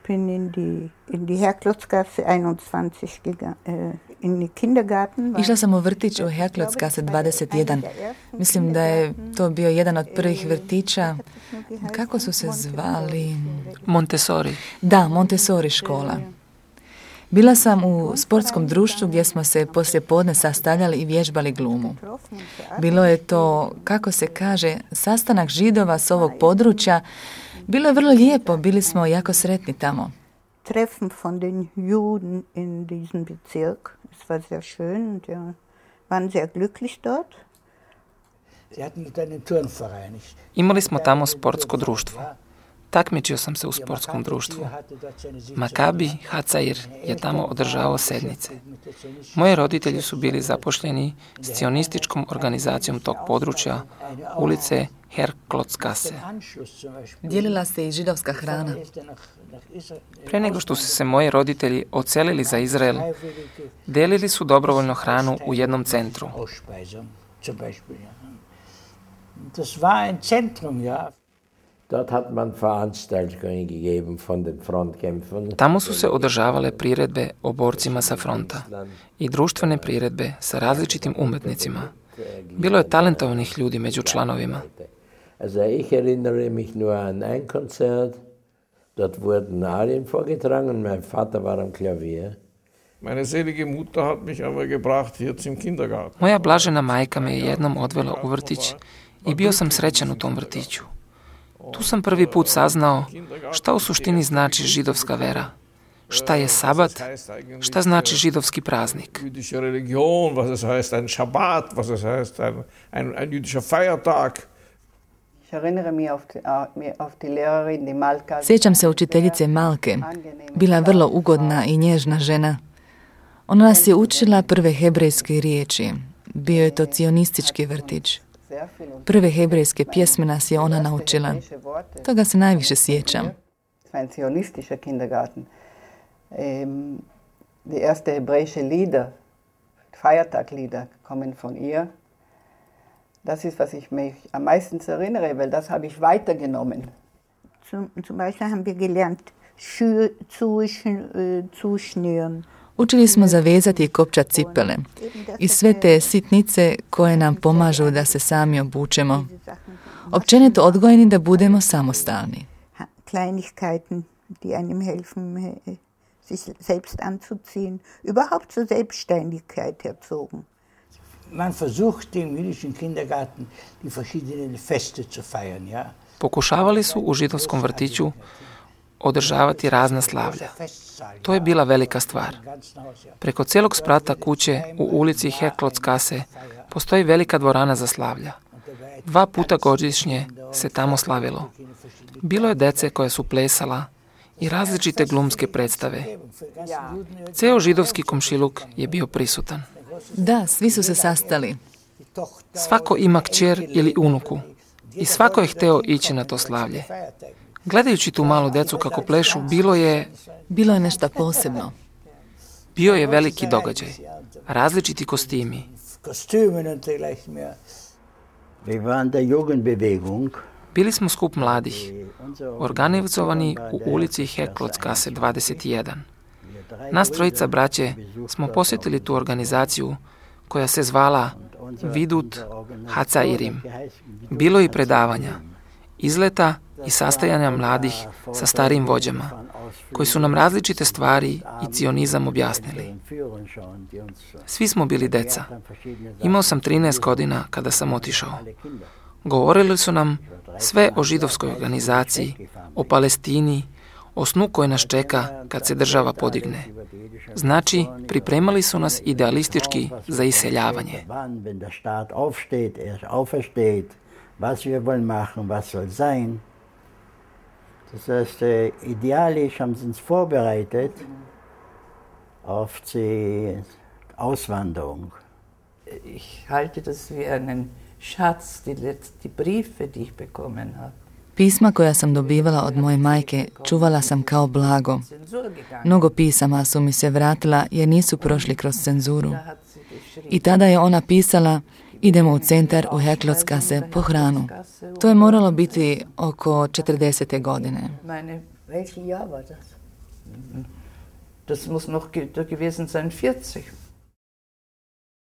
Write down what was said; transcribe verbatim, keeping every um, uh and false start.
bin in die, in die Herklotzgasse einundzwanzig gegangen, äh, in die Kindergarten. Išla sam u vrtić u Herklotzgasse dvadeset jedan. Mislim da je to bio jedan od prvih vrtića. Kako su se zvali? Montessori. Da, Montessori škola. Bila sam u sportskom društvu gdje smo se poslije podne sastavljali i vježbali glumu. Bilo je to, kako se kaže, sastanak Židova s ovog područja. Bilo je vrlo lijepo, bili smo jako sretni tamo. Treffen von den Juden in diesem Bezirk. Es war sehr schön und ja, waren sehr glücklich dort. Imali smo tamo sportsko društvo. Takmičio sam se u sportskom društvu. Makabi Hacair je tamo održavao sednice. Moji roditelji su bili zapošljeni s cionističkom organizacijom tog područja, ulice Herklotzgasse. Dijelila se i židovska hrana. Pre nego što su se moji roditelji odselili za Izrael, delili su dobrovoljno hranu u jednom centru. Das war ein Zentrum, ja. Dort hat man Veranstaltungen gegeben von den Frontkämpfern. Tamo su se održavale priredbe o borcima sa fronta i društvene priredbe sa različitim umetnicima. Bilo je talentovanih ljudi među članovima. Also ich erinnere mich nur an ein Konzert. Dort wurden Arien vorgetragen. Mein Vater war am Klavier. Meine selige Mutter hat mich aber gebracht hier zum Kindergarten. Moja blažena majka me je jednom odvela u vrtić i bio sam srećan u tom vrtiću. Tu sam prvi put saznao šta u suštini znači židovska vera. Šta je sabat, šta znači židovski praznik. Jüdische Religion, was es heißt ein Schabbat, was es heißt ein, ein, ein jüdischer Feiertag. Sjećam se učiteljice Malke. Bila je vrlo ugodna i nježna žena. Ona nas je učila prve hebrejske riječi. Bio je to cionistički vrtić. Prve hebrejske pjesme nas je ona naučila. Toga se najviše sjećam. Die erste hebräische Lieder, Feiertaglieder, kommen von ihr. Das ist, was ich mich am meisten erinnere, weil das habe ich weitergenommen. Zum, zum Beispiel haben wir gelernt, Schuhe zuschnüren. Učili smo zavezati i kopčat cipele i sve te sitnice koje nam pomažu da se sami obučemo. Općenito odgojeni da budemo samostalni. Kleinigkeiten, die einem helfen, sich selbst anzuziehen, überhaupt zur Selbstständigkeit erzogen. Man versucht im jüdischen Kindergarten die verschiedenen Feste zu feiern, ja. Pokušavali su u židovskom vrtiću održavati razna slavlja. To je bila velika stvar. Preko cijelog sprata kuće u ulici Herklotzgasse postoji velika dvorana za slavlja. Dva puta godišnje se tamo slavilo. Bilo je dece koje su plesala i različite glumske predstave. Ceo židovski komšiluk je bio prisutan. Da, svi su se sastali. Svako ima kćer ili unuku i svako je hteo ići na to slavlje. Gledajući tu malu decu kako plešu, bilo je... Bilo je nešto posebno. Bio je veliki događaj. Različiti kostimi. Bili smo skup mladih, organizovani u ulici Herklotzgasse dvadeset jedan. Nas trojica braće smo posjetili tu organizaciju koja se zvala Vidut Hacairim. Bilo je i predavanja, izleta i sastajanja mladih sa starijim vođama, koji su nam različite stvari i cionizam objasnili. Svi smo bili deca. Imao sam trinaest godina kada sam otišao. Govorili su nam sve o židovskoj organizaciji, o Palestini, o snu koji nas čeka kad se država podigne. Znači, pripremali su nas idealistički za iseljavanje. Was wir wollen machen, was soll sein. Das heißt, idealisch haben sie uns vorbereitet auf die Auswanderung. Ich halte das wie einen Schatz, die, die Briefe, die ich bekommen habe. Pisma koja sam dobivala od moje majke čuvala sam kao blago. Mnogo pisama su mi se vratila jer nisu prošli kroz cenzuru. I tada je ona pisala: idemo u centar u Herklotzgasse po hranu. To je moralo biti oko četrdesete godine. Das muss noch ge gewesen sein, vierzig.